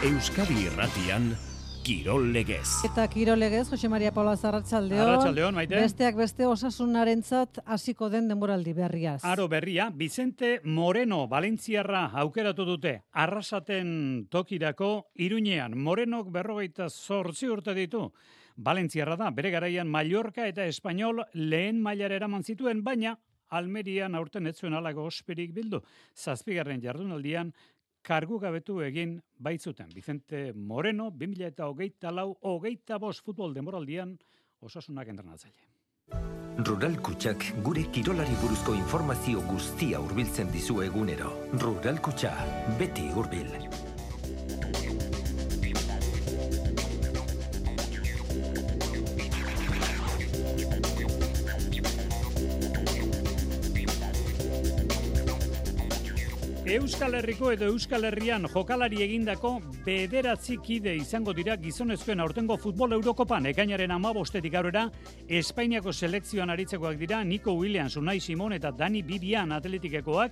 Euskadi Irratian, Kirol Legez. Eta Kirol Legez, Jose Maria Paula Arratsaldeon. Arratsaldeon, Maite. Besteak beste osasunarentzat hasiko den denboraldi berriaz. Aro berria, Vicente Moreno, Valentziarra aukeratu dute. Arrasaten tokirako Iruñean. Morenok 48 urte ditu. Valentziarra da, bere garaian Mallorca eta Espainol lehen mailara eraman zituen, baina Almerian aurten ez zuen halako osperik bildu. 7. jardunaldian kargu gabetu egin baitzuten. Vicente Moreno, 2024-25 futbol denboraldian osasunak entrenatzaile. Rural Kutxak gure kirolari buruzko informazio guztia hurbiltzen dizu egunero. Rural Kutxa, beti hurbil. Euskal Herriko edo Euskal Herrian jokalari egindako 9 kide izango dira gizonezkoen aurtengo futbol Eurokopan. Ekainaren 15 aurrera Espainiako selekzioan aritzekoak dira Nico Williams, Unai Simon eta Dani Bibian atletikekoak,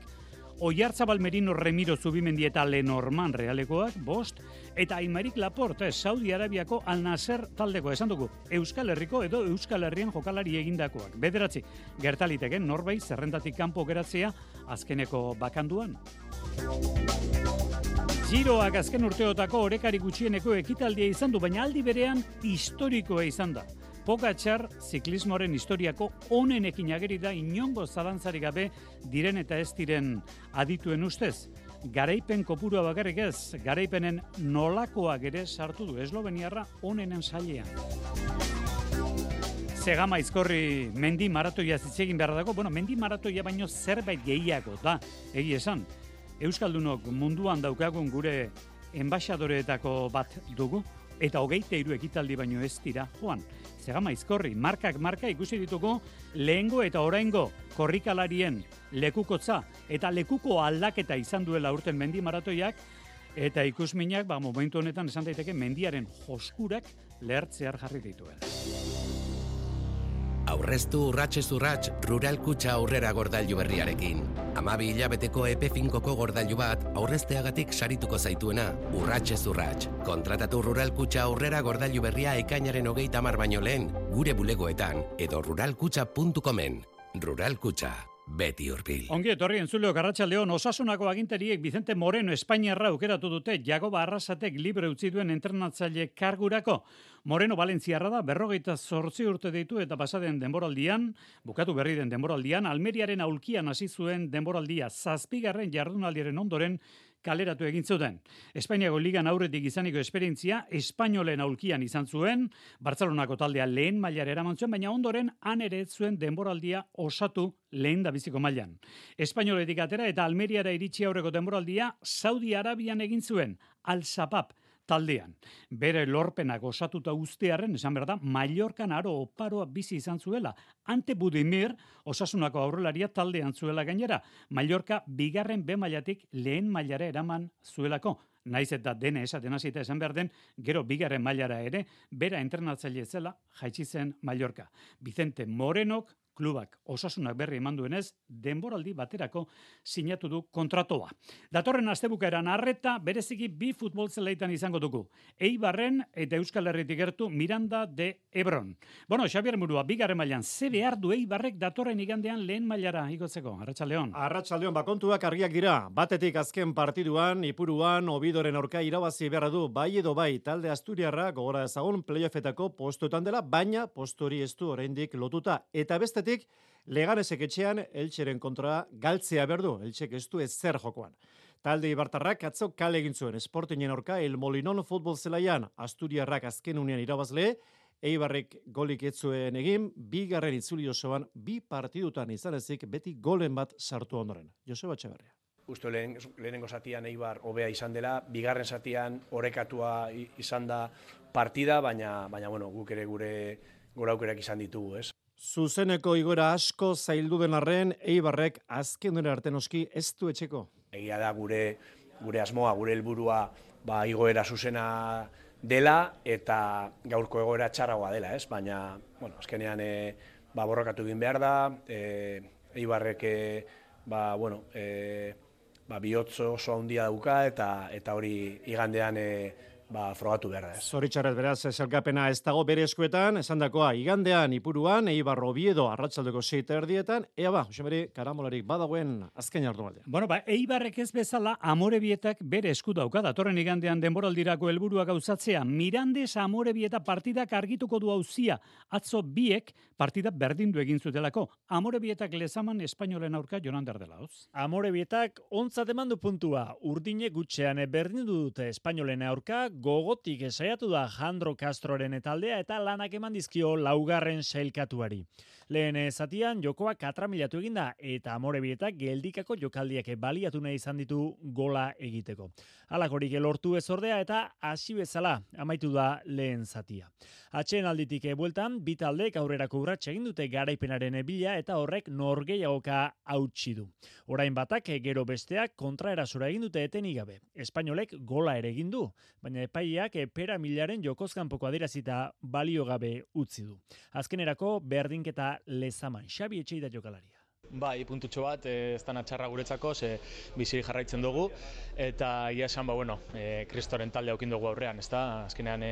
Oiartzabal Merino Remiro Zubimendi eta Lenormand Realekoak, 5, eta Aymeric Laporte, Saudi Arabiako Al Nasser taldeko, esan dugu, Euskal Herriko edo Euskal Herrian jokalari egindakoak. 9, gertaliteken norbait zerrendatik kanpo geratzea azkeneko bakanduan. Giroak azken urteotako orekari gutxieneko ekitaldia izan du, baina aldi berean historikoa izan da. Pogačar ziklismoaren historiako onenekin ageri da inongo zalantzarik gabe diren eta ez diren adituen ustez. Garaipen kopurua bakarrik ez, garaipenen nolakoak ere sartu du esloveniarra onenen sailean. Zegama Aizkorri mendi maratoia zitzegin behar dago, mendi maratoia baino zerbait gehiago da, egi esan. Euskaldunok munduan daukagun gure enbaixadoreetako bat dugu, eta 23 ekitaldi baino ez dira joan. Zegama Aizkorri, markak marka ikusi ditugu lehengo eta oraingo korrikalarien lekukotza eta lekuko aldaketa izan duela urten mendi maratoiak, eta ikusminak, momentu honetan esan daiteke mendiaren joskurak lehertzear jarri dituela. Aurreztu urratsez urrats Rural Kutxa aurrera gordailu berriarekin. 12 hilabeteko epe finkoko gordailu bat aurrezteagatik sarituko zaituena, urratsez urrats. Kontratatu Rural Kutxa aurrera gordailu berria ekainaren 30 baino lehen, gure bulegoetan edo ruralkutxa.comen. Rural Kutxa, beti hurbil. Ongi etorri entzuleok, arratsaldeon. Osasunako agintariek Vicente Moreno Espainiarra aukeratu dute Jagoba Arrasatek libre utzi duen entrenatzaile kargurako. Moreno Valentziarra da, 48 urte ditu eta pasaden denboraldian, bukatu berri den denboraldian, Almeriaren aulkian hasi zuen denboraldia 7. jardunaldiaren ondoren kaleratu egin zuten. Espainiako ligan aurretik izaniko esperientzia Espainolen aulkian izan zuen, Bartzelonako taldea lehen mailara eraman zuen, baina ondoren han ere ez zuen denboraldia osatu lehen da biziko mailan. Espainoletik atera eta Almeriara iritsi aurreko denboraldia Saudi Arabian egin zuen, Al-Sapab taldean. Bere lorpenak osatuta ustearen, esan behar da, Mallorcan aro oparoa bizi izan zuela. Ante Budimir, osasunako aurrelaria taldean zuela gainera. Mallorca 2. B mailatik lehen mailara eraman zuelako. Naiz eta dene esaten hasita esan behar den, gero 2. mailara ere, bera entrenatzaile zela jaitsi zen Mallorca. Vicente Morenok, klubak osasunak berri eman duenez, denboraldi baterako sinatu du kontratoa. Datorren astebukaeran arreta bereziki 2 futbol zeleitan izango dugu. Eibarren eta Euskal Herritik gertu Miranda de Ebron. Xabier Murua, 2. mailan, ze behar du Eibarrek datorren igandean lehen mailara igotzeko? Arratsaldeon. Arratsaldeon, kontuak argiak dira. Batetik azken partiduan, Ipuruan, Obidoren aurka irabazi beharra du, bai edo bai, talde Asturiarra gogora ezagun playoffetako postuetan dela, baina postori ez du oraindik lotuta. Eta bestetik, Leganesek etxean Eltseren kontra galtzea berdu, Eltsek ez du ezer jokoan. Talde Ibartarrak atzo kale egin zuen Sportingen aurka El Molinon futbol zelaian, Asturiarrak azken unean irabazle, Eibarrek golik ez zuen egin, 2. itzuli osoan 2 partidutan izan ezik beti golen bat sartu ondoren. Joseba Etxeberria. Uste lehenengo zatian Eibar hobea izan dela, 2. zatian orekatua izan da partida, baina guk ere gure aukerak izan ditugu, ez? Zuzeneko igora asko zaildu den arren, Eibarrek azken duen arte noski ez du etxeko. Egia da gure asmoa, gure helburua igoera zuzena dela eta gaurko egoera txarragoa dela, ez? Baina, azkenean borrokatu egin behar da, Eibarrek bihotz oso handia dauka eta hori igandean frogatu behar da. Zoritxarrez beraz, zelkapena ez dago bere eskuetan, esandakoa igandean Ipuruan, Eibar Oviedo arratsaldeko 6:30, ea ba, Josemeri, karamolarik badagoen azken jardunaldia. Bueno, Eibarrek ez bezala Amorebietak bere esku dauka datorren igandean denboraldirako helburua gauzatzea. Mirandes Amorebieta partidak argituko du auzia. Atzo biek partida berdindu egin zutelako. Amorebietak lezaman espainolen aurka Jonander delauz. Amorebietak ontzat eman du puntua. Urdine gutxean berdindu dute espainolen aurka, gogotik saiatu da Jandro Castroren taldea eta lanak eman dizkio laugarren sailkatuari. Lehen zatian jokoa katramilatu eginda eta Amorebietak geldikako jokaldiak baliatu nahi izan ditu gola egiteko. Halakorik lortu ez ordea eta hasi bezala amaitu da lehen zatia. Atxeen alditik bueltan, bi taldek aurrerako urratsa egin dute garaipenaren bila eta horrek norgehiagoka hautsi du. Orain batak gero besteak kontraerasora egin dute etenik gabe. Espainolek gola ere egin du, baina epaileak pera milaren jokozkanpoko adierazita balio gabe utzi du. Azkenerako berdinketa lezaman. Xabi Etxeida jokalaria. Bai, puntutxo bat, ez da natxarra guretzako, ze bizi jarraitzen dugu, eta ia esan, Kristoren talde aukin dugu aurrean, ez da? Azkenean,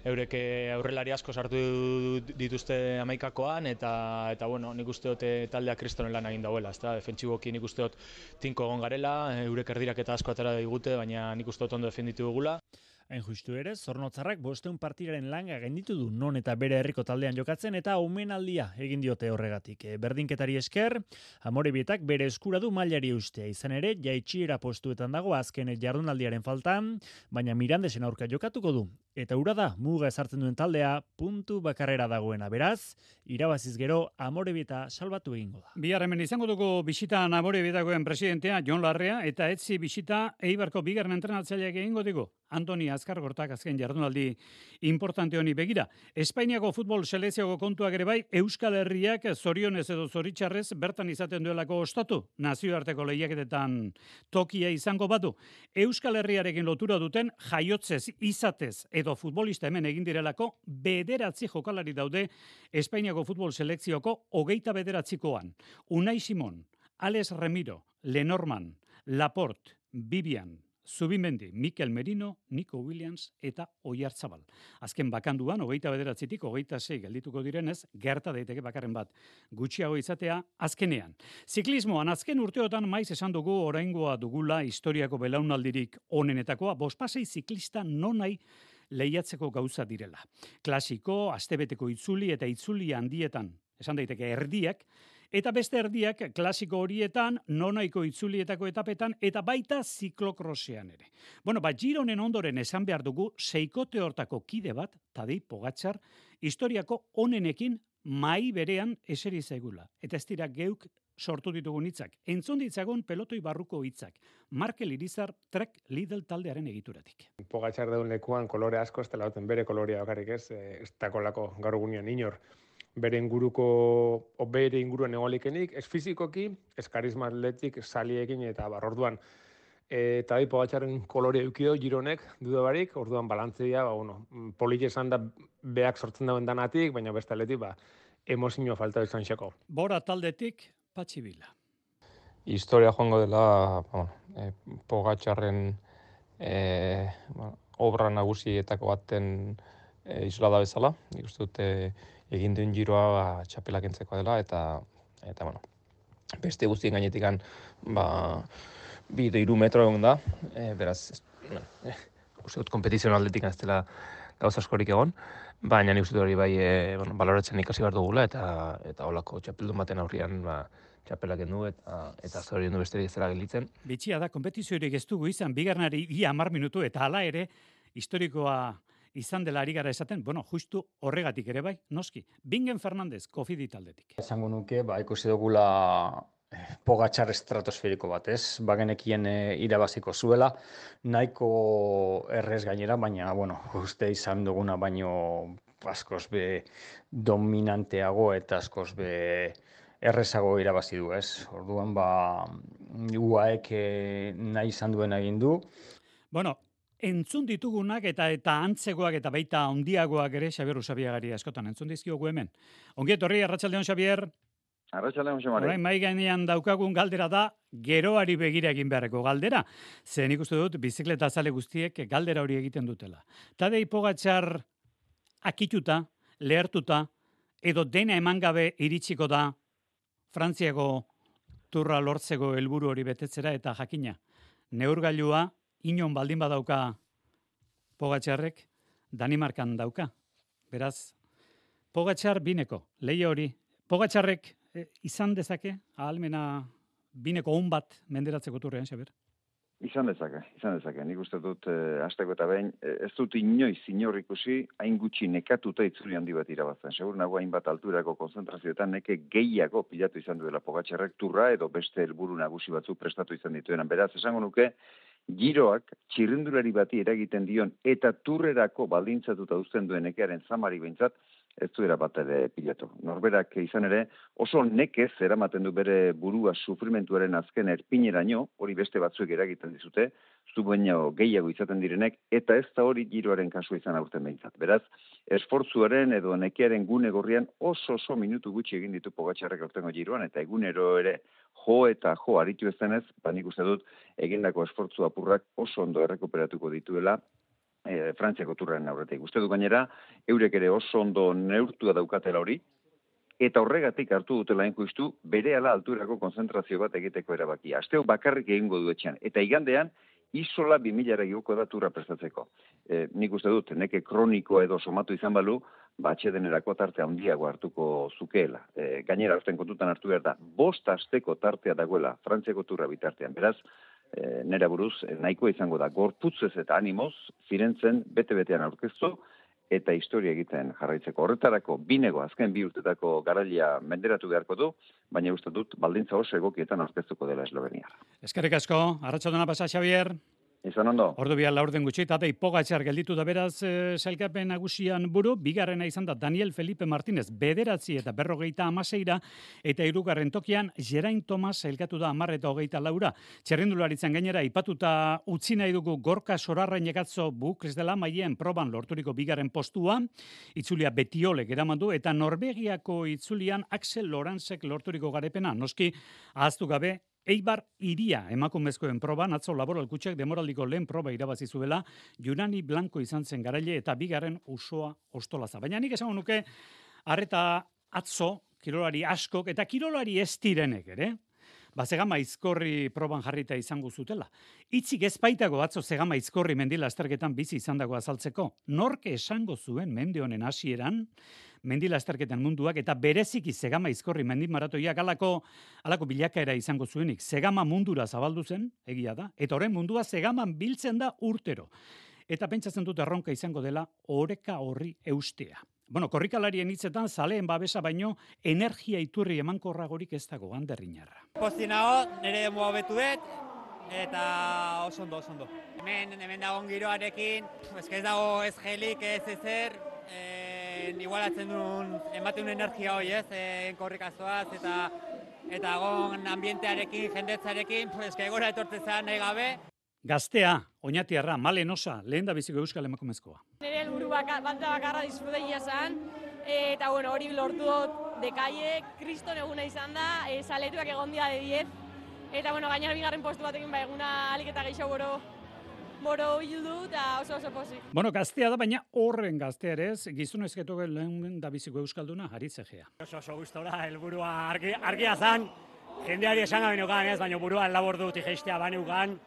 eurek aurrelari asko sartu dituzte amaikakoan, eta nik uste dut taldea Kristoren lan egin dauela, ez da? Defentsiboki nik uste dut tinko egon garela, eurek erdirak eta asko atera digute, baina nik uste dut ondo defenditu dugula. Hain justu ere, Zornotzarrak 500 partidaren langa gainditu du non eta bere herriko taldean jokatzen eta omenaldia egin diote horregatik. Berdinketari esker, Amorebietak bere eskura du mailari eustea. Izan ere, jaitsiera postuetan dago azken jardunaldiaren faltan, baina Mirandesen aurka jokatuko du. Eta hura da, muga ezartzen duen taldea, puntu bakarrera dagoena. Beraz, irabaziz gero Amorebieta salbatu egingo da. Bihar hemen izango dugu bisitan Amorebietakoen presidentea Jon Larrea eta etzi bisita Eibarko bigarren entrenatzaileak egingo digu. Antoni Azkargortak azken jardunaldi importante honi begira. Espainiako futbol selekzioko kontuak ere bai, Euskal Herriak zorionez edo zoritxarrez bertan izaten duelako ostatu. Nazioarteko lehiaketetan tokia izango badu. Euskal Herriarekin lotura duten jaiotzez, izatez edo futbolista hemen egin direlako 9 jokalari daude Espainiako futbol selekzioko 29koan. Unai Simon, Alex Remiro, Lenormand, Laporte, Vivian, Zubimendi, Mikel Merino, Nico Williams eta Oiartzabal. Azken bakanduan, 29tik 26 geldituko direnez, gerta daiteke bakarren bat gutxiago izatea azkenean. Ziklismoan azken urteotan maiz esan dugu oraingoa dugula historiako belaunaldirik onenetakoa, 5 ziklista nonai lehiatzeko gauza direla. Klasiko, astebeteko itzuli eta itzuli handietan, esan daiteke erdiak, eta beste erdiak klasiko horietan, nonaiko itzulietako etapetan, eta baita ziklokrosean ere. Gironen ondoren esan behar dugu, seikote hortako kide bat, Tadej Pogačar, historiako onenekin mai berean eseri zaigula. Eta ez dira geuk sortu ditugun hitzak. Entzun ditzagun pelotoi barruko hitzak. Markel Irizar Trek Lidl taldearen egituratik. Pogačar deun lekuan kolore asko, ez dela duten bere kolorea bakarrik ez dakolako gaur egunean inor. Bere inguruan egolikenik, ez fizikoki, ez karisma atletik, saliekin eta orduan. Tadej Pogačarren kolore eukido gironek duda barik, orduan balantzea, politxe esan da beak sortzen dauen danatik, baina beste atletik, emozio falta izan xako. Bora taldetik, Patxi Vila. Historia joango dela, Pogačarren obra nagusietako baten islada bezala, nik uste dute egin duen giroa txapelak entzeko dela, eta beste guztien gainetikan 2-3 metro egon da, beraz, uste dut kompetizioan aldetik ez dela gauza askorik egon, baina nik uste dut hori bai baloratzen ikasi behar dugula, eta holako txapeldun baten aurrian txapelak endu eta zorien du besterik ez dela gelitzen. Bitxia da, kompetiziorik ez dugu izan, bigarnari 10 minutu, eta hala ere, historikoa izan dela ari gara esaten, justu horregatik ere bai, noski. Bingen Fernandez, Kofidi taldetik. Esango nuke, ikusi dugula Pogačar estratosferiko bat, ez? Bagenekien irabaziko zuela, nahiko errez gainera, baina, uste izan duguna baino askoz be dominanteago eta askoz be errezago irabazi du, ez? Orduan, UAEk nahi izan duen egin du. Entzun ditugunak eta antzegoak eta baita handiagoak ere Xabier Usabiagari askotan entzun dizkiogu hemen. Ongi etorri, arratsaldeon Xabier. Arratsaldeon, Jose Mari. Orain mai gainean daukagun galdera da geroari begira egin beharreko galdera. Ze nik uste dut bizikleta zale guztiek galdera hori egiten dutela. Tadej Pogačar akituta, lehertuta, edo dena eman gabe iritsiko da Frantziako turra lortzeko helburu hori betetzera eta jakina. Neurgailua inon baldin badauka Pogačarrek, Danimarkan dauka. Beraz, Pogačar bineko, leia hori. Pogačarrek izan dezake, ahalmena bineko on bat menderatzeko turrean, Xabier? Izan dezake. Nik uste dut, hasteko eta behin, ez dut inoiz inor ikusi, hain gutxi nekatuta itzuli handi bat irabazten. Segur nago hainbat alturako konzentrazioetan neke gehiago pilatu izan duela Pogačarrek turra edo beste helburu nagusi batzuk prestatu izan dituenan. Beraz, esango nuke, giroak txirrindulari bati eragiten dion eta turrerako baldintzatuta uzten duen nekearen zamari behintzat, ez duera bat ere pilatu. Norberak izan ere oso nekez eramaten du bere burua sufrimentuaren azken erpineraino, hori beste batzuek eragiten dizute, zu baino gehiago izaten direnek, eta ez da hori giroaren kasua izan aurten behintzat. Beraz, esfortzuaren edo nekearen gune gorrian oso minutu gutxi egin ditu Pogačarrek aurtengo giroan, eta egunero ere jo aritu ez denez, nik uste dut egindako esfortzu apurrak oso ondo errekuperatuko dituela Frantziako turraren aurretik. Uste du gainera, eurek ere oso ondo neurtua daukatela hori, eta horregatik hartu dutela inkuistu berehala alturako konzentrazio bat egiteko erabakia. Asteo bakarrik egingo du etxean, eta igandean Isola 2000 igoko da turra prestatzeko. Nik uste dut, neke kroniko edo somatu izan balu, atsedenerako tarte handiago hartuko zukeela. Gainera, aurten kontutan hartu behar da, 5 asteko tartea dagoela Frantziako turra bitartean. Beraz, nera buruz, nahikoa izango da, gorputzez eta animoz, Firenzen bete-betean aurkeztu, eta historia egiten jarraitzeko. Horretarako, binego azken 2 urtetako garailea menderatu beharko du, baina uste dut, baldintza oso egokietan aurkeztuko dela Eslovenia. Eskerrik asko, arratsaldona pasa, Xabier. Izan ondo. Ordu bian laurden gutxi, Tadej Pogačar gelditu da beraz sailkapen nagusian buru, bigarrena izan da Daniel Felipe Martínez 9 eta 56, eta 3. tokian Geraint Thomas sailkatu da 10 eta 24. Txerrindularitzan gainera aipatuta utzi nahi dugu Gorka Sorarrain atzo Bukes dela maien proban lorturiko 2. postua, itzulia Betiolek eraman du, eta Norvegiako itzulian Axel Lorentzek lorturiko garepena, noski ahaztu gabe Eibar Iria emakumezkoen proban atzo Laboral Kutxak demoraldiko lehen proba irabazi zuela, Junani Blanco izan zen garaile eta 2. Usoa Ostolaza. Baina nik esango nuke arreta atzo kirolari askok eta kirolari ez direnek ere, Zegama Izkorri proban jarrita izango zutela. Itzik ez baitago atzo Zegama Izkorri mendilasterketan bizi izandako azaltzeko. Nork esango zuen mende honen hasieran mendilasterketan munduak eta bereziki Zegama Izkorri mendimaratoiak alako bilakaera izango zuenik. Zegama mundura zabaldu zen, egia da, eta horren mundua Zegaman biltzen da urtero. Eta pentsatzen dut erronka izango dela oreka horri eustea. Korrikalarien hitzetan zaleen babesa baino energia iturri emankorragorik ez dago Anderriñarra. Posti nago, nire demua hobetu dut, eta oso ondo. Hemen dagoen giroarekin, ez dago ez gelik, ez ezer, igualatzen duen, ematen duen energia hori ez, korrikazoaz, eta gon ambientearekin, jendetzarekin, gora etortzezan nahi gabe. Gaztea, Oñatiarra, Malen Osa, lehen da biziko euskal emakumezkoa. Nire helburu bakarra disfruteia zen, eta hori lortu dut dekaiek, kriston eguna izan da, saletuak egon dia de 10, eta gainera 2. postu batekin eguna alik eta gehiago boro hildu, eta oso pozik. Gaztea da, baina horren gaztea ere ez, gizonezketu lehen da biziko euskalduna, Aritzegea. Oso gustora, helburua argia zen, jendeari esan gabe neukan ez, baina buruan labordu tijeistea baneukan,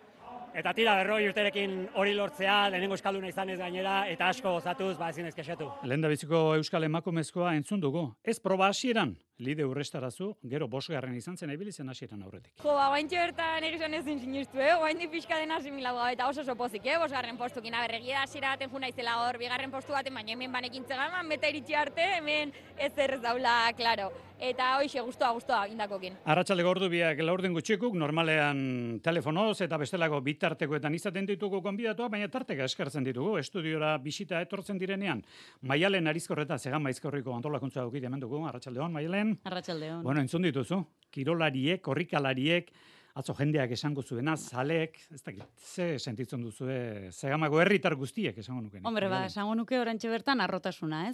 eta tira 40 urterekin hori lortzea, lehenengo euskalduna izan ez gainera, eta asko gozatuz, ezin ez kexatu. Lehen da biziko euskal emakumezkoa entzun dugu. Ez proba hasieran, lide urrestarazu, gero 5. izan zen ebilizen hasieran aurretik. Oaintxe bertan egizan ezin sinistu, oaindik pixka dena asimilagoa, eta oso pozik, 5. postukin, berregia hasiera baten juna izela hor, 2. postu baten, baina hemen banekin tzegaman, beta iritsi arte, hemen ez errez daula, klaro. Eta hoxe, gustoa indakokin. Arratsaldeko ordu biak laurden gutxikuk, normalean telefonoz eta bestelako bitartekoetan izaten ditugu gonbidatuak, baina tarteka eskartzen ditugu, estudiora bisita etortzen direnean. Maialen Arizkorreta, Zegama Izkorriko antolakuntza aukit hemen dugu, arratsaldeon, Maialen. Arratsaldeon. Entzun dituzu, kirolariek, korrikalariek, atzo jendeak esango zuena, zaleek, ez dakit, ze sentitzen duzue, Zegamako herritar guztiek esango nuke. Hombre, esango nuke orantxe bertan arrotasuna,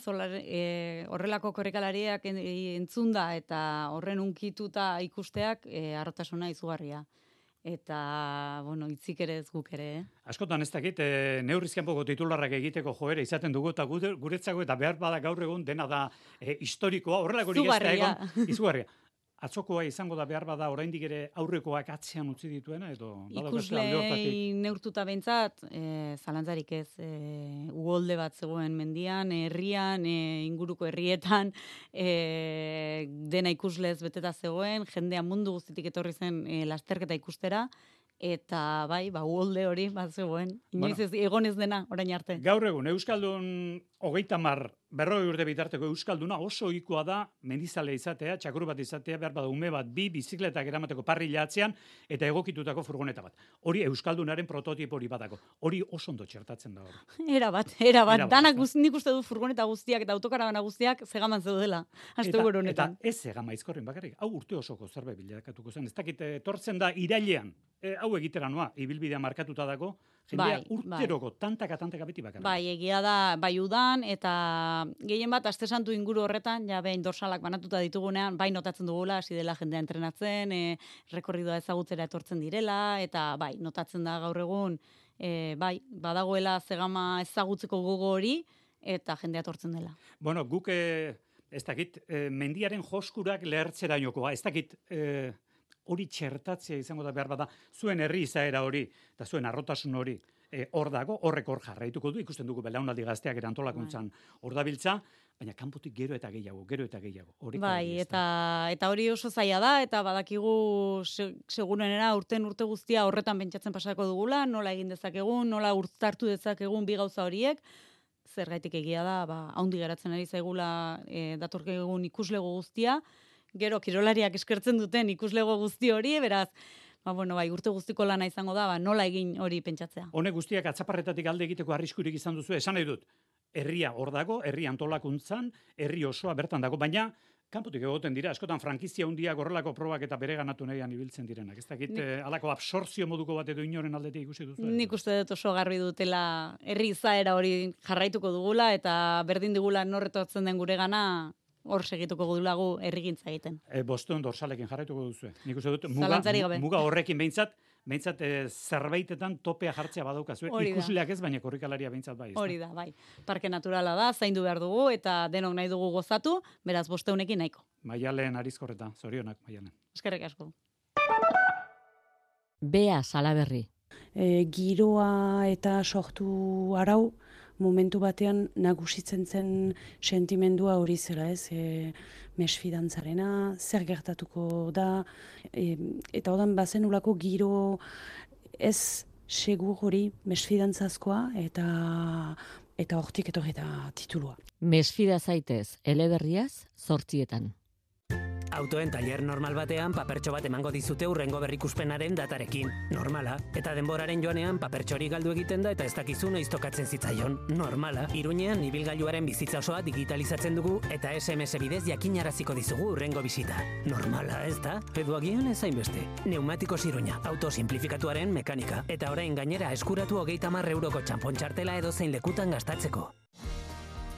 horrelako korrikalariak entzunda eta horren unkituta ikusteak arrotasuna izugarria. Eta, hitzik ere ez guk ere. Askotan ez dakit, neurrizkianpoko titularrak egiteko joera izaten dugu, eta guretzako eta behar bada gaur egun dena da historikoa, horrelako izugarria. Atzokoa izango da behar bada oraindik ere aurrekoak atzean utzi dituena, edo ikuslei neurtuta behintzat, zalantzarik ez, uholde bat zegoen mendian, herrian, inguruko herrietan, dena ikuslez beteta zegoen, jendea mundu guztitik etorri zen lasterketa ikustera, eta uholde hori bat zegoen. Inoiz ez egonez dena, orain arte. Gaur egun, Euskaldun 30-40 urte bitarteko Euskalduna oso ohikoa da mendizale izatea, txakur bat izatea, behar bada ume bat, 2 bizikletak eramateko parrilla atzean, eta egokitutako furgoneta bat. Hori Euskaldunaren prototipo hori batako. Hori oso ondo txertatzen da hori. Era bat. Danak nik uste du furgoneta guztiak eta autokarabana guztiak zegaman zeudela. Eta ez zegama izkorren bakarrik. Hau urte osoko zerbait bilakatuko zen. Ez dakit etortzen da irailean. Hau egitera noa, ibilbidea markatuta dago, jendea urteroko tantaka beti bakarrik. Egia da, udan, eta gehien bat, aste santu inguru horretan, behin dorsalak banatuta ditugunean, notatzen dugula, hasi dela jendea entrenatzen, rekorridoa ezagutzera etortzen direla, eta notatzen da gaur egun, badagoela zegama ezagutzeko gogo hori, eta jendea etortzen dela. Guk, ez dakit, mendiaren joskurak lehertzera inokoa, ez dakit, hori txertatzea izango da behar bada, zuen herri izaera hori, eta zuen arrotasun hori, hor dago, horrek hor jarraituko du, ikusten dugu belaunaldi gazteak erantolakuntzan hor dabiltza, baina kanpotik gero eta gehiago. Eta hori oso zaila da, eta badakigu segurenera urte guztia horretan pentsatzen pasako dugula, nola egin dezakegun, nola urtartu dezakegun bi gauza horiek, zergaitik egia da, haundi geratzen ari zaigula datorkegun ikuslego guztia, gero kirolariak eskertzen duten ikuslego guzti hori, beraz, urte guztiko lana izango da, nola egin hori pentsatzea. Honek guztiak atzaparretatik alde egiteko arriskurik izan duzu, esan nahi dut, herria hor dago, herri antolakuntzan, herri osoa bertan dago, baina kanpotik egoten dira, askotan frankizia hundiak horrelako probak eta bere ganatu nahian ibiltzen direnak. Ez dakit, alako absortzio moduko bat edo inoren aldetik ikusi duzu? Nik uste dut oso garbi dutela herri izaera hori jarraituko dugula, eta berdin digula norretortzen den gure gana, hor segituko dulagu herrigintza egiten. Bostuen dorsalekin jarraituko duzu. Nik uste dut, muga horrekin behintzat zerbaitetan topea jartzea badaukazu. Ikusleak ez, baina korrikalaria behintzat bai. Hori da, bai. Parke naturala da, zaindu behar dugu, eta denok nahi dugu gozatu, beraz bosteunekin nahiko. Maialen Arizkorreta, zorionak, Maialen. Eskerrik asko. Bea Salaberri. Giroa eta sortu arau, momentu batean nagusitzen zen sentimendua hori zela, mesfidantzarena, zer gertatuko da, eta odan bazenulako giro ez segur hori mesfidantzazkoa, eta hortik etorri da titulua. Mesfida zaitez, eleberriaz, 8:00. Autoen taller normal batean papertxo bat emango dizute hurrengo berrikuspenaren datarekin. Normala. Eta denboraren joanean papertxori galdu egiten da eta ez dakizu noiz tokatzen zitzaion. Normala. Iruñean ibilgailuaren bizitza osoa digitalizatzen dugu eta SMS bidez jakinaraziko dizugu hurrengo bisita. Normala, ez da? Edo agian ez hainbeste. Neumatikos Iruña. Auto simplifikatuaren mekanika. Eta orain gainera eskuratu 30 euroko txanpon txartela edo zein lekutan gastatzeko.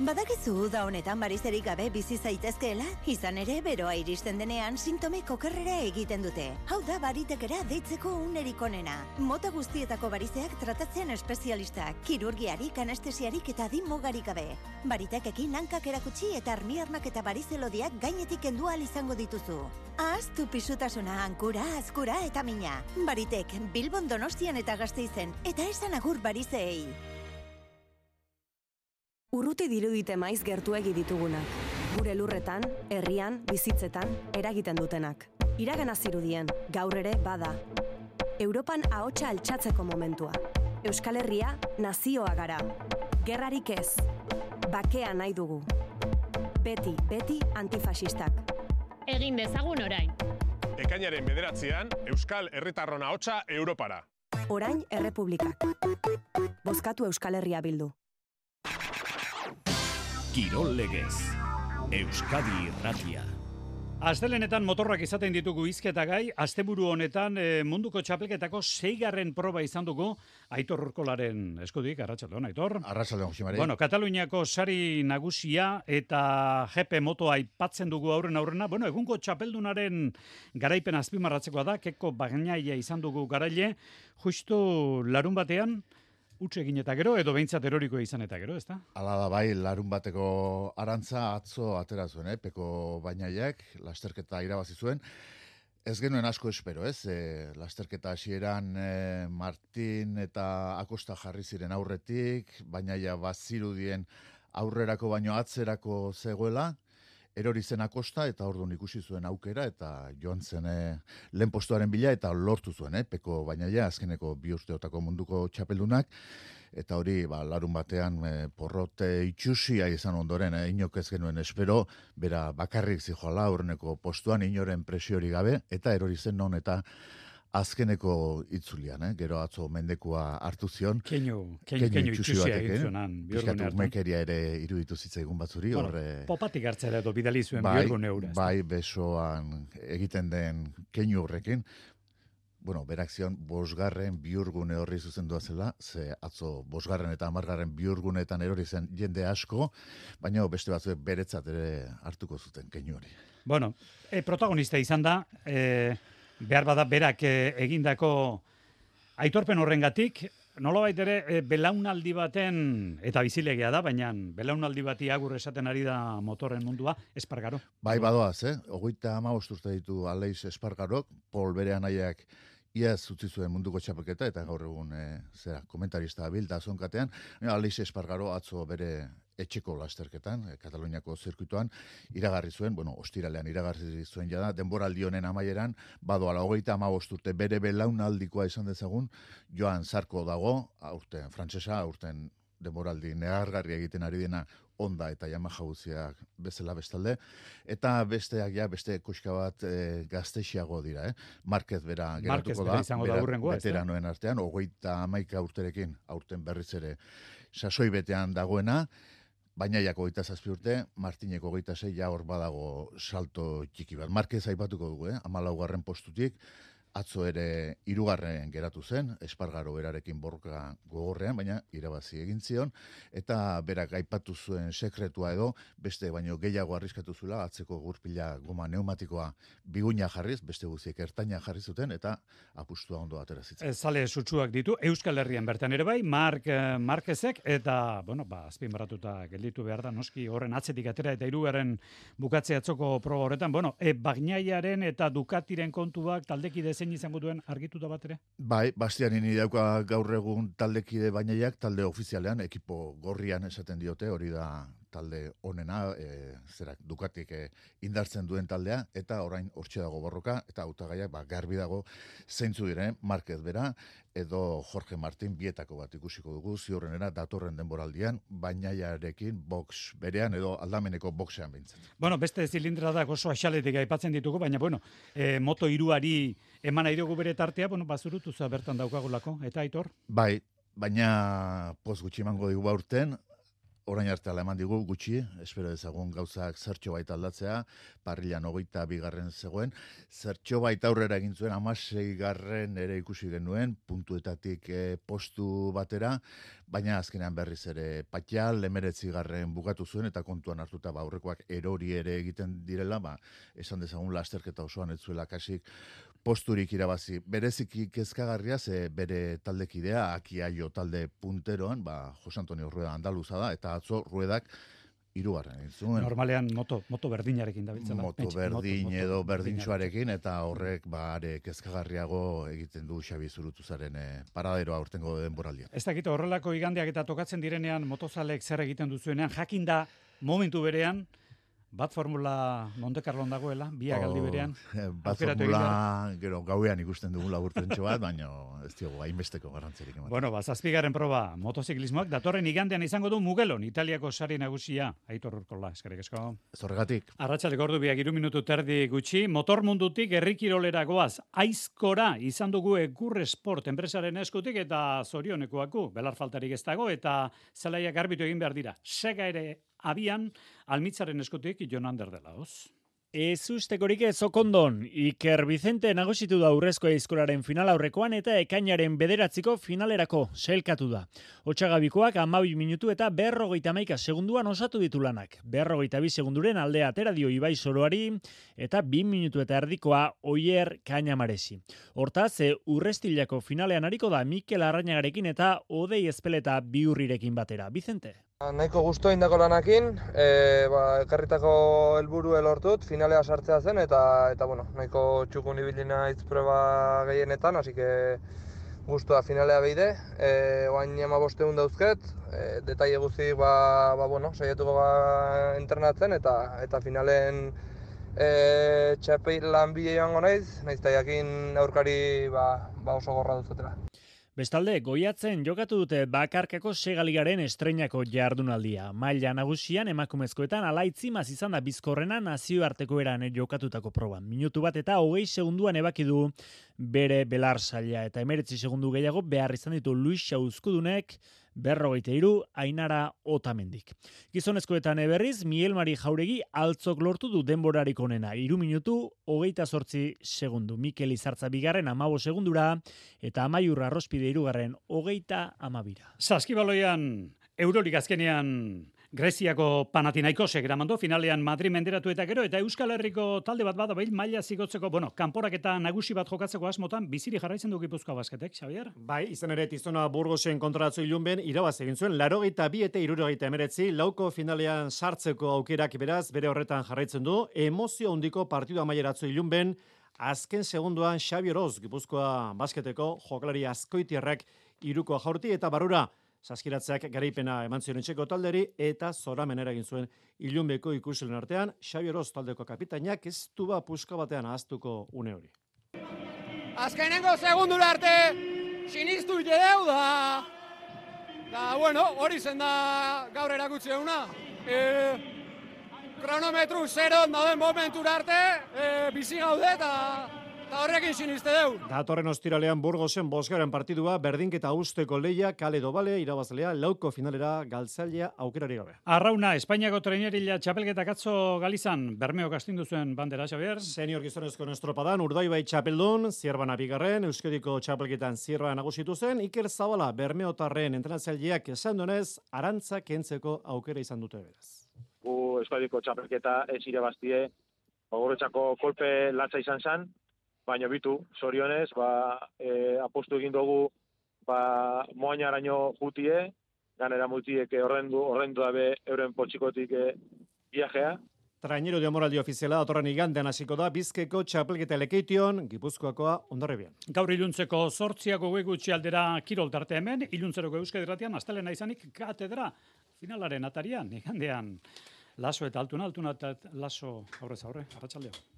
Badakizu da honetan barizerik gabe bizi zaitezkeela, izan ere beroa iristen denean sintomek okerrera egiten dute. Hau da baritekera deitzeko unerik onena. Mota guztietako barizeak tratatzean espezialistak, kirurgiarik, anestesiarik eta mugarik gabe. Baritekekin hankak erakutsi eta armiarmak eta barizelodiak gainetik kendu ahal izango dituzu. Ahaztu pisutasuna, hankura, azkura eta mina. Baritek, Bilbon, Donostian eta Gasteizen, eta esan agur barizeei. Urruti dirudite maiz gertuegi ditugunak. Gure lurretan, herrian, bizitzetan, eragiten dutenak. Iragana zirudien, gaur ere bada. Europan ahotsa altxatzeko momentua. Euskal Herria, nazioa gara. Gerrarik ez. Bakea nahi dugu. Beti antifasistak. Egin dezagun orain. Ekainaren 9an, Euskal Herritarron ahotsa Europara. Orain Errepublikak. Bozkatu Euskal Herria Bildu. Kirol legez, Euskadi Irratia. Astelenetan motorrak izaten ditugu hizketa gai, asteburu honetan munduko txapelketako 6. proba izan dugu Aitor Urkolaren eskutik, arratsaldeon Aitor. Arratsaldeon, Jimari. Bueno, Kataluniako sari nagusia eta GP motoa aipatzen dugu aurrena. Bueno, egungo txapeldunaren garaipen azpimarratzekoa da, Keko Bagnaia izan dugu garaile, justu larun batean, utxe egin eta gero, edo behintzat eroriko izan eta gero, ezta? Hala da bai, larun bateko arantza atzo atera zuen, Peko Bainaiak, lasterketa irabazi zuen. Ez genuen asko espero, ez? Lasterketa hasieran Martin eta Acosta jarri ziren aurretik, Bainaia bazirudien aurrerako baino atzerako zegoela, erori zen Acosta eta orduan ikusi zuen aukera eta joan zen lehen postuaren bila eta lortu zuen, Peko Bainaia, azkeneko 2 urteotako munduko txapeldunak, eta hori larun batean porrote itxusia izan ondoren, inok ez genuen espero, bera bakarrik zijoala aurreneko postuan, inoren presiori gabe, eta erori zen non eta azkeneko itzulian, gero atzo mendekua hartu zion. Keinu itxusia egin zuenan, bihurgune hartan. Mekeria ere iruditu zitzaigun batzuri. Bueno, popatik hartzera edo bidali zuen bihurgune eura. Bai, besoan egiten den keinu horrekin. Bueno, berak zion, 5. bihurgune horri zuzendua zela, ze atzo 5. eta 10. bihurgunetan erori zen jende asko, baina beste batzuek beretzat ere hartuko zuten keinu hori. Bueno, protagonista izan da, behar bada berak egindako aitorpen horrengatik, nolabait ere belaunaldi baten, eta bizilegia da, baina belaunaldi bati agur esaten ari da motorren mundua, Espargaro. Bai, badoaz, 35 urte ditu Aleix Espargarok, Pol bere anaiak iaz utzi zuen munduko txapelketa, eta gaur egun komentarista bilda zonkatean, Aleix Espargaro atzo bere etxeko lasterketan, Kataluniako zirkuituan, iragarri zuen, ostiralean iragarri zuen jada, denboraldi honen amaieran, badoala 35 urte bere belaunaldikoa izan dezagun, Joan Zarko dago, aurten frantsesa, aurten denboraldi negargarri egiten ari dena Honda eta Yamaha guztiak bezala bestalde, eta beste koxka bat gaztexiago dira, Marquez bera geratuko da, veteranoen artean, 31 urterekin, aurten berriz ere sasoi betean dagoena, Bainaiak 27 urte, Martinek 26, ja hor badago salto txiki bat. Marquez aipatuko dugu, 14. postutik, atzo ere 3. geratu zen, Espargaro berarekin borroka gogorrean, baina irabazi egin zion, eta berak aipatu zuen sekretua edo, beste baino gehiago arriskatu zuela, atzeko gurpila goma pneumatikoa biguina jarriz, beste guztiek ertaina jarri zuten, eta apustua ondo atera zitzen. Zale sutsuak ditu, Euskal Herrian bertan ere bai, Marquezek, eta, azpimarratuta gelditu behar da, noski horren atzetik atera, eta 3. bukatze atzoko proba horretan, Bagnaiaren eta Ducatiren kontuak taldekide zein izango duen argituta bat ere? Bai, Bastianini dauka gaur egun taldekide Bainaiak, talde ofizialean, ekipo gorrian esaten diote, hori da talde onena, Ducatik indartzen duen taldea, eta orain hortxe dago borroka, eta hautagaiak garbi dago zeintzu diren, Marquez bera, edo Jorge Martin bietako bat ikusiko dugu, ziurrenera datorren denboraldian, Bainaiarekin box berean, edo aldameneko boxean behintzen. Beste zilindradak oso axaletik aipatzen ditugu, baina, Moto 3-ari eman nahi dugu bere tartea, bazurutu za bertan daukagulako, eta Aitor? Bai, baina poz gutxi emango digu aurten, orain arte eman digu gutxi, espero dezagun gauzak zertxo baita aldatzea, parrilan 22. zegoen, zertxo baita aurrera egin zuen, 16. ere ikusi genuen, puntuetatik postu batera, baina azkenean berriz ere Patial, 19. bukatu zuen, eta kontuan hartuta aurrekoak erori ere egiten direla, esan dezagun lasterketa osoan ez zuela kasik posturik irabazi. Bereziki kezkagarria, bere taldekidea, Akiaio talde punteroan, Jose Antonio Rueda andaluza da, eta atzo Ruedak 3. egin zuen. Normalean moto berdinarekin dabiltzela. Moto berdin edo berdintxoarekin, eta horrek are kezkagarriago egiten du Xabi Zurutuzaren paraderoa urtengo denboraldia. Ez dakit horrelako igandeak eta tokatzen direnean motozalek zer egiten duzuenean, jakinda momentu berean, bat formula Monte Carlon dagoela, biak aldi berean. Bat formula, gero gauean ikusten dugu laburtentxo bat, baina ez diogu hainbesteko garrantzerik ematen. 7. proba motoziklismoak, datorren igandean izango du Mugelon, Italiako sari nagusia, Aitor Urkola, eskerrik asko. Zorregatik. Arratsaldeko ordu 3 minutu terdi gutxi, motor mundutik herrikirolera goaz, Aizkora izan dugu Egur Sport enpresaren eskutik eta zorionekoaku, belar faltarik ez dago, eta zelaiak garbitu egin behar dira. Sega ere abian, Almitzaren eskutik Jon Ander dela, hoz? Ez ustekorik ez okondon, Iker Vicente nagusitu da Urrezko Eiskolaren final aurrekoan eta ekainaren 9 finalerako sailkatu da. Otsagabikoak 12 minutu eta 51 segunduan osatu ditu lanak. 52 segunduren aldea atera dio Ibai Soroari eta 2 minutu eta erdikoa Oier Kainamaresi. Hortaz, Urrestilako finalean ariko da Mikel Arrañagarekin eta Odei Ezpeleta Biurrirekin batera. Vicente. Nahiko gustu indako lanakin, ekarritako helburu lortut, finalea sartzea zen eta bueno, nahiko txukun ibili naiz proba gehienetan, así que gustua finalea beide. Oain 15 dauzket, detaile guztiak bueno, saiatuko entrenatzen eta finalen txapeilan bide joango naiz eta jakin aurkari oso gorra duzutela. Bestalde, Goiatzen jokatu dute bakarkako segaligaren estreinako jardunaldia. Maila nagusian emakumezkoetan Alaitzimaz izan da bizkorrena nazioarteko eran jokatutako proban. Minutu bat eta 20 segunduan ebaki du bere belar saila eta 19 segundu gehiago behar izan ditu Luisa Uzkudunek 53 Ainara Otamendik. Gizonezkoetan berriz Miguel Mari Jauregi altzok lortu du denborarik onena 3 minutu 28 segundu. Mikel Izartza bigarren 15 segundura eta Amaiur Arrospide hirugarren 32. Saskibaloian Eurolig azkenean Greziako Panathinaikosek eramandu finalean Madrid menderatu eta gero eta Euskal Herriko talde bat bada maila zigotzeko, kanporak eta nagusi bat jokatzeko asmotan biziri jarraitzen du Gipuzkoa Basketek, Xavier? Bai, izan ere Tizona Burgosen kontratzo ilunben irabaz egin zuen 82 eta 69 lauko finalean sartzeko aukerak beraz bere horretan jarraitzen du. Emozio handiko partidu amaieratzo ilunben azken segunduan Xabi Oroz Gipuzkoa Basketeko jokalari azkoitiarrak 3 jaurti eta barrura Saskiratzeak garaipena eman zion etxeko talderi eta zoramenera egin zuen ilunbeko ikuslen artean, Xabi Oroz taldeko kapitainak ez du puska batean ahaztuko une hori. Azkenengo segundura arte sinistu ideu da bueno, hori zen da gaur erakutsi eguna. Kronometru 0 dauden momentura arte bizi gaude eta horrekin siniste deu. Datorren ostiralean Burgosen 5. partidua berdinketa usteko leia kale dobale irabazlea lauko finalera galtzailea aukerari gabe. Arrauna, Espainiako trainerila txapelketak atzo Galizan, Bermeok astindu zuen bandera, Xavier. Senior gizonezko estropadan Urdaibai txapeldun, Zierbana bigarren, Euskadiko txapelketan Zierba nagusitu zen, Iker Zabala Bermeotarren entrenatzaileak esan donez, arantza kentzeko aukera izan dute beraz. Euskadiko txapelketa ez irabaztie, Gogoretzako kolpe latza izan zen, baina bitu, zorionez, apostu egin dugu moainaraino jutie, ganera multiek orrendu dabe euren potxikotik viajea. Trainero de moraldi ofiziala datorren igandean hasiko da Bizkaiko txapelketa Lekeition, Gipuzkoakoa Hondarribian. Gaur iluntzeko 8 gutxi aldera kirol tarte hemen, iluntzeroko Euskadi Irratian astelena izanik katedra finalaren atarian, igandean Laso eta Altuna eta Laso aurrez aurre, arratsaldean.